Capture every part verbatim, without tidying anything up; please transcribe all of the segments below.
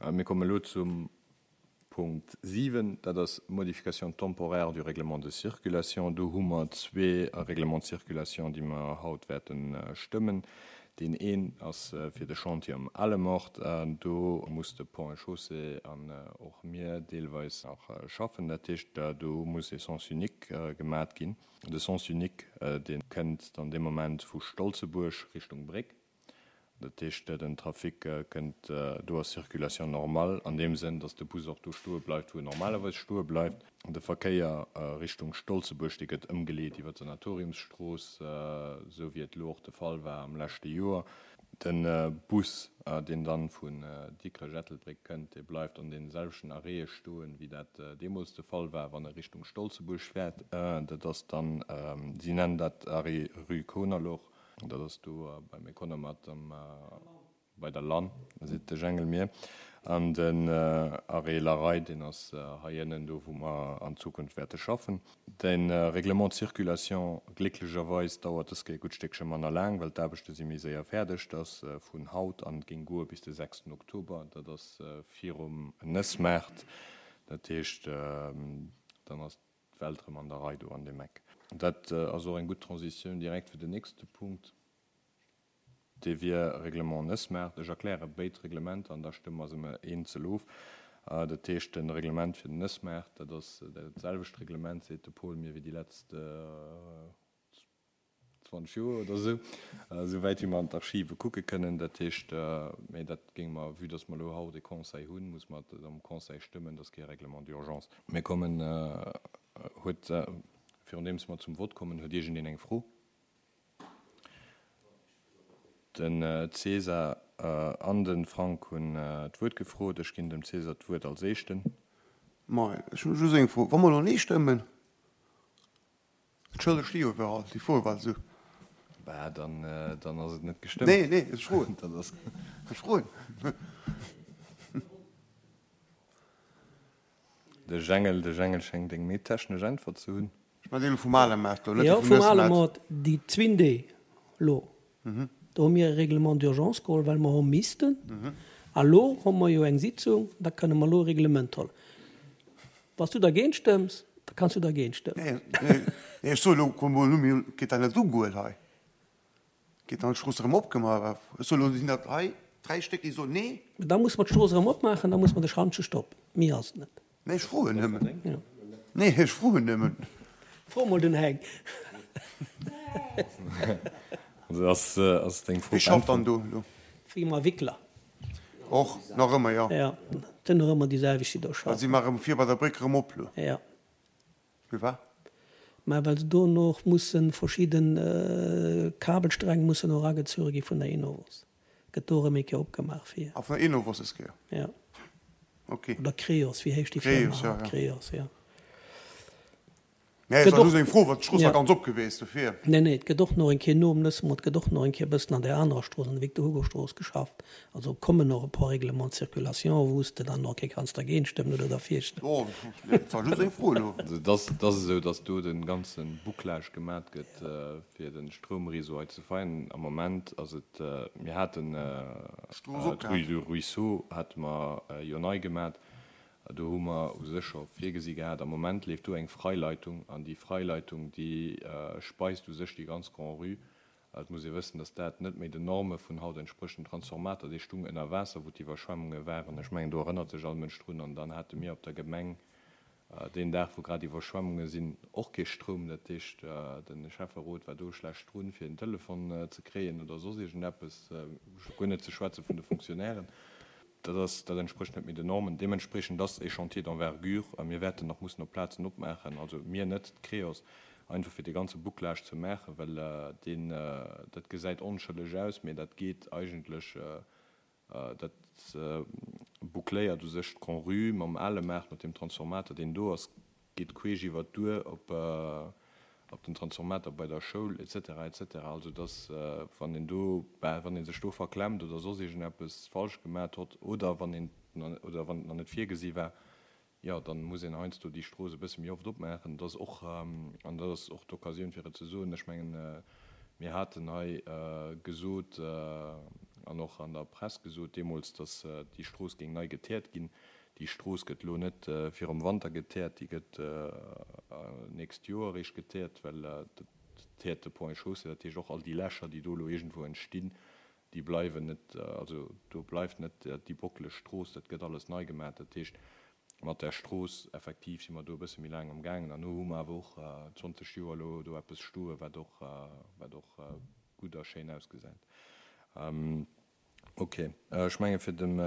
Mir kommen elo zum Punkt siwen, dat ass Modification temporaire du Règlement de circulation. Do hu mer zwee Règlements de circulation, déi mer haut wäerte stëmmen. Deen een ass fir de Chantier am Alemort. Do muss de Ponts et Chaussées an och mir deelweis nach schaffen. Dat heescht, do muss e Sens unique gemat ginn. De Sens unique, dee kënnt dann dee Moment vu Stolzebuerg Richtung Bréck. Dat heescht, den Trafic kënnt do ass Circulation normale an deem Sënn, dass de Bus och do stoe bleift, wou en normalerweis stoe bleift. De Verkéier Richtung Stolzebuerg, dee gëtt ëmgeleet iwwer d'Sanatoriumsstrooss, esou wéi et elo och de Fall war am leschte Joer. De Bus, deen dann vun Dikrech-Ettelbréck kënnt, dee bleift an deene selwechten Arrêtë stoen, wéi dat deemools de Fall war, wann e Richtung Stolzebuerg fäert. Dat ass dann, si nennen dat Arrêt rue Konerloch. Dat ass do beim Economat am, bei der Lann, seet de Jengel mir. An den Arrêt La Raye, deen ass hei ënnen, do wou mer an Zukunft wäerte schaffen. De Règlement de circulation, glécklecherweis dauert dës Kéier e gutt Stéckche manner laang, well d'Aarbechte si méi séier fäerdeg. Dat ass vun haut an géing goe bis de sechsten Oktober. Dat ass virum Nëssmaart. Dat heescht, dann ass d'Welt erëm an der Rei do an deem Eck. Dat ass och eng gutt Transitioun direkt fir den nächste Punkt, dee wier Règlement Nëssmaart. Ech erkläre béid Reglementer an da stëmme mer se emol eenzel of. Dat heescht, de Reglement fir den Nëssmaart, dat ass dat selwecht Reglement, seet de Paul mir, wéi déi letzt zwanzeg Joer oder esou, esou wäit wéi mer an d'Archive kucke kënnen. Dat heescht, mä dat géinge mer, vue dass mer elo haut e Conseil hunn, muss mer et am Conseil stëmmen, dat ass kee Règlement d'urgence. Mir kommen, huet, virun deems mer zum Vott kommen, huet iergendeen eng Fro? Den César an de Frank hunn d'Wuert gefrot. Ech ginn dem César d'Wuert als Éischten. Moien, ech hunn just eng Fro. Wa mer elo Nee stëmmen, D'Schëlder sti jo iwwerall, déi Fro war esou. Bah, dann, dann ass et net gestëmmt. Nee, nee, ech froen. Dat ass. Ech froen. De Jengel, de Jengel schéngt eng méi technesch Äntwert ze hunn. Ech mengen déi elo vum Alemart do, net Jo, déi vum vum Nëssmaart. Alemart, déi zwinn Dee elo. Do hu mir e Règlement d'urgence geholl, well mer hu missten. A lo hu mer jo eng Sitzung, da kënne mer elo e Reglement huelen. Wann s du dergéint stëmms, da kanns du dergéint stëmmen. Nee, nee, ech soe lo, komm mol, mir geet dat net ugoen hei. Geet dann d'Strooss erëm opgemaach? Ech soe lo, sinn dat hei dräi Stéck, déi soen nee. Da muss mer d'Strooss erëm opmaachen, da muss mer de Schantje stoppen. Méi ass et net. Nee, ech froen nëmmen. Nee, ech froen nëmmen. Fro mol den Heng. Also ass, ass deng Fro Wie schafft dann do elo? Firma Wickler. Och nach ëmmer, jo. Jo, et sinn nach ëmmer déi selwecht, déi do Well si schaffen. maache vir bei der Bréck erëm op elo. Jo. Firwat? Mä well se dono och musse verschidde Kabelsträng mussen och eragezuere gi vun der Enovos, gëtt do erëm eng Kéier opgemaach fir. Ah, vun der Enovos des Kéier? Jo. Ok. Oder Creos, wéi heescht déi Firma Creos, jo, haut? jo. Creos, jo. Nee, et Gëtt war och, just eng Fro, well d'Strooss war ja. ganz op geweest, dofir. Nee, nee, et gëtt och nach eng Kéier nom Nëssmoort, gëtt och nach eng Kéier e bëssen an där anerer Strooss, an der Victor-Hugo-Strooss geschafft. Also kommen och e puer Règlements de circulation, wou s de dann och eng Kéier kanns dergéint stëmmen oder derfir stëmmen. Jo, nee, et war just eng Fro elo. Also et ass, et ass esou, datt do de ganze Bouclage gemat gëtt, fir de Stroumréseau hei ze feinen. Am Moment ass et, mir haten D'Strooss d'Rue opgehat. du Ruisseau hate mer jo nei gemat. Do hu mer u sech scho virgesi gehat, am Moment leeft do eng Freileitung an déi Freileitung, déi speist u sech déi ganz Grand-Rue. Et muss ee wëssen, dass dat net méi den Norme vun haut entsprécht. Den Transformator, dee stung ënner Waasser, wou d'Iwwerschwemmunge waren. Ech mengen, do erënnert sech all Mënsch drun. An dann hate mir op der Gemeng deen Dag, wou grad Iwwerschwemmunge sinn, och kee Stroum. Dat heescht, de Schäfferot war do schlecht drun, fir en Telefon ze kréien oder soss iergendeppes, guer net ze schwätze vun de Fonctionnairen. Dat ass, dat entsprécht net méi den Normen. Deementspreechend ass e Chantier d'envergure a mir wäerten nach mussen op Plazen opmaachen, also mir net, d'Creos, einfach fir dee ganze Bouclage ze maachen, well deen, dat gesäit onschëlleg aus, mä dat geet eigentlech, dat boucléiert u sech d'Grand-Rue mam ale Maart, mat deem Transformator, deen do ass, geet queesch iwwert d'Duer op op den Transformator bei der Schoul et cetera et cetera. Also dass, wann een do, ben, wann ee sech do verklemmt oder soss iergendeppes falsch gemat hott oder wann een, oder wann et nach net virgesi war, jo, dann muss een heiansdo déi Strooss e bësse méi oft opmaachen. Dat ass och, an dat ass och d'Occasioun fir et ze soen, ech mengen, mir haten hei gesot, an och an der Press gesot deemools, dass déi Strooss géing nei geteert ginn. Déi Strooss gëtt elo net virum Wanter geteert, déi gëtt nächst Joer eréischt geteert, well dat teert de Ponts et Chaussées. Dat heescht och all déi Lächer, déi do elo iergendwou entstinn, déi bleiwen net, also do bleift net déi bockeleg Strooss, dat gëtt alles nei gemaach. Dat heescht, mat där Strooss effektiv si mer do e bësse méi laang am gaangen an elo hu mer awer och zwanzeg Joer elo do eppes stoen, wat och, wat och gutt a schéin ausgesäit. Ok, ech menge fir dem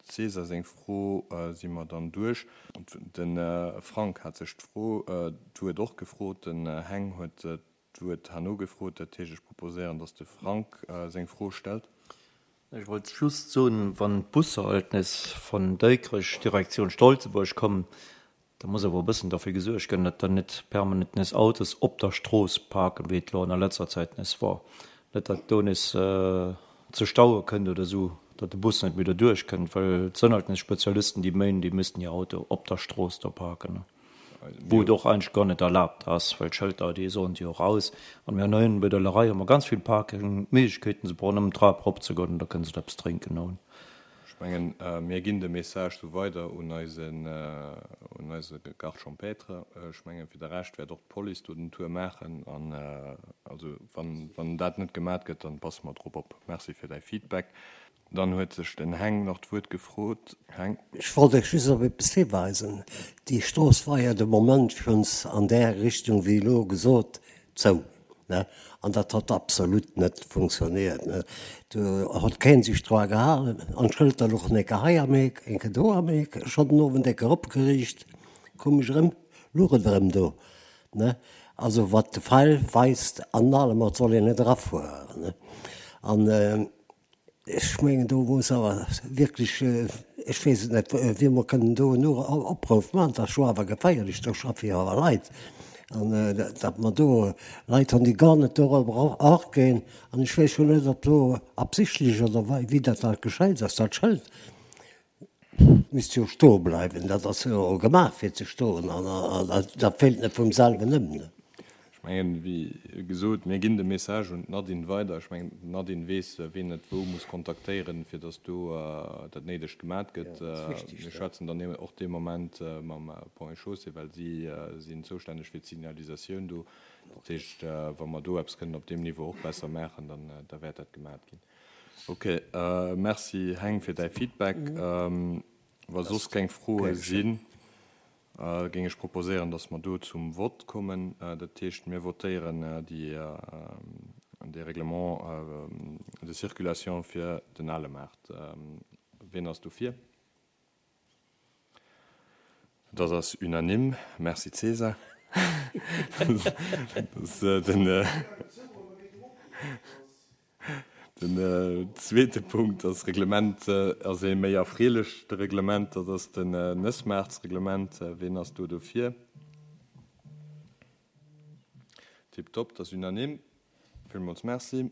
César seng Fro si mer dann duerch. De Frank hat sech d'Fro, d'Wuert och gefrot, den Heng huet d'Wuert herno gefrot. Dat heescht, ech proposéieren, datt de Frank seng Fro stellt. Ech wollt just soen, wann d'Busser alt nees vun Dikrech Direktioun Stolzebuerg kommen, da muss awer e bëssen derfir gesuergt ginn, datt dann net permanent nees Autos op der Strooss parken, wéi et elo an der letzter Zäit nees war. Net datt do nees zu Staue kënnt oder esou, datt de Bus net méi doduerch kënnt, well et sënn alt nees Spezialisten, déi méinen, déi missten hir Auto op der Strooss do parken. Wou et och eigentlech guer net erlaabt ass, well d'Schëlter, déi soen se jo och aus. An mir hunn heihinne bei der Lerei hu mer ganz vill Parkingméiglechkeeten, se brauchen nëmmen d'Trap eropzegoen an da kënne se eppes drénken goen. Ech mengen, mir ginn de Message sou weider un eisen, un eise Garde champêtre. Ech mengen, fir de Rescht wäert och d'Police do den Tour maachen. An also, wann, wann dat net gemat gëtt, dann passe mer drop op. Merci fir däi Feedback. Dann huet sech den Heng nach d'Wuert gefrot. Heng. Ech wollt Iech just op eppes hiweisen. Déi Strooss war jo de Moment schonns an där Richtung, wéi elo gesot, zou, ne? An dat hott absolut net funktioniert, ne? Do hott keen sech dra gehalen. An d'Schëlter luchen eng Kéier hei am Eck, eng Kéier do am Eck. Ech hott den Owend eng Kéier opgeriicht, koum ech erëm, luch et erëm do, ne? Also wat de Feil weist an allem, et soll een net erafueren, ne? An Ech mengen, do muss awer wierklech, ech weess et net, wéi mer kënnen do en Opruff maachen, dat ass jo awer geféierlech, do schaffe jo awer Leit, an datt mer do Leit hunn, déi gar net dorobber aginn. An ech weess jo net, ob do absichtlech oder wéi dat da geschéit ass, dat Schëld misst jo stoe bleiwen, dat ass jo gemaach fir ze stoen, an dat fält net vum selwen ëm. Ech mengen, wéi gesot, mir ginn de Message un d'Nadine weider. Ech mengen, d'Nadine weess, wien et wou muss kontaktéieren, fir datt do dat Néidegt gemat gëtt. Mir schwätzen dann och dee Moment mam Ponts et Chaussées, well si sinn zoustänneg fir d'Signalisatioun do. Dat heescht, wa mer do eppes kënnen op deem Niveau och besser maachen, dann da wäert dat gemat ginn. Okay, Merci Heng fir däi Feedback. Wa soss keng Froe sinn, géing ech proposéieren, dass mer do zum Vott kommen. Dat heescht, mir votéieren déi, dee Règlement de circulation fir den ale Maart. Wien ass dofir? Dat ass unanime. Merci César. Den. Den zweete Punkt ass Reglement, ass ee méi erfreelecht Reglement, dat ass den Nëssmaartsreglement. Ween ass do dofir? Tiptop, dat ass unanime. Villmools Merci.